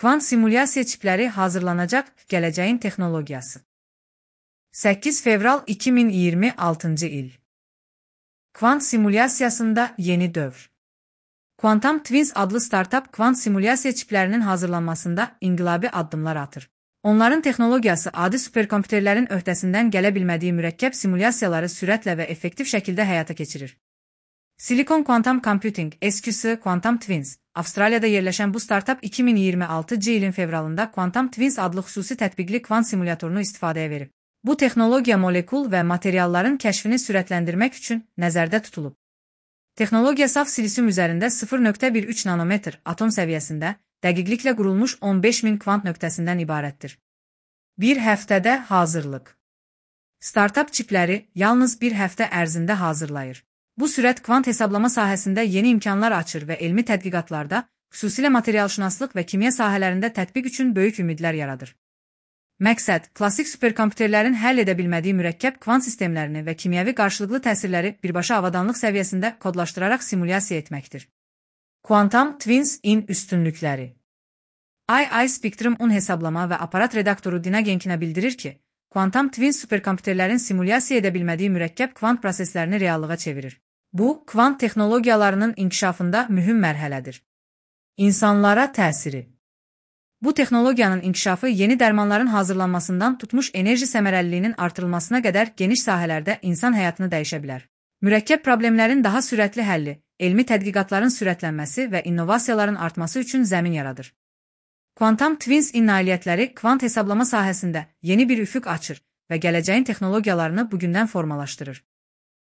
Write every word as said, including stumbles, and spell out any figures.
Kvant simulyasiya çipləri hazırlanacaq gələcəyin texnologiyası. səkkiz fevral iki min iyirmi altıncı il. Kvant simulyasiyasında yeni dövr. Quantum Twins adlı startap kvant simulyasiya çiplərinin hazırlanmasında inqilabi addımlar atır. Onların texnologiyası adi superkompüterlərin öhdəsindən gələ bilmədiyi mürəkkəb simulyasiyaları sürətlə və effektiv şəkildə həyata keçirir. Silicon Quantum Computing, S Q S Quantum Twins, Avstraliyada yerləşən bu startap iki min iyirmi altıncı ilin fevralında Quantum Twins adlı xüsusi tətbiqli kvant simulyatorunu istifadəyə verib. Bu texnologiya molekul və materialların kəşfini sürətləndirmək üçün nəzərdə tutulub. Texnologiya saf silisium üzərində sıfır nöqtə bir üç nanometr atom səviyyəsində dəqiqliklə qurulmuş on beş min kvant nöqtəsindən ibarətdir. Bir həftədə hazırlıq. Startap çipləri yalnız bir həftə ərzində hazırlayır. Bu sürət kvant hesablama sahəsində yeni imkanlar açır və elmi tədqiqatlarda, xüsusilə materialşünaslıq və kimya sahələrində tətbiq üçün böyük ümidlər yaradır. Məqsəd, klassik superkompüterlərin həll edə bilmədiyi mürəkkəb kvant sistemlərini və kimyəvi qarşılıqlı təsirləri birbaşa avadanlıq səviyyəsində kodlaşdıraraq simulyasiya etməkdir. Quantum Twins-in üstünlükləri. I I Spectrum-un hesablama və aparat redaktoru Dina Genkinə bildirir ki, Quantum Twins superkompüterlərin simulyasiya edə bilmədiyi mürəkkəb kvant proseslərini reallığa çevirir. Bu, kvant texnologiyalarının inkişafında mühüm mərhələdir. İnsanlara təsiri. Bu texnologiyanın inkişafı yeni dərmanların hazırlanmasından tutmuş enerji səmərəliliyinin artırılmasına qədər geniş sahələrdə insan həyatını dəyişə bilər. Mürəkkəb problemlərin daha sürətli həlli, elmi tədqiqatların sürətlənməsi və innovasiyaların artması üçün zəmin yaradır. Quantum Twins-in nailiyyətləri kvant hesablama sahəsində yeni bir üfüq açır və gələcəyin texnologiyalarını bugündən formalaşdırır.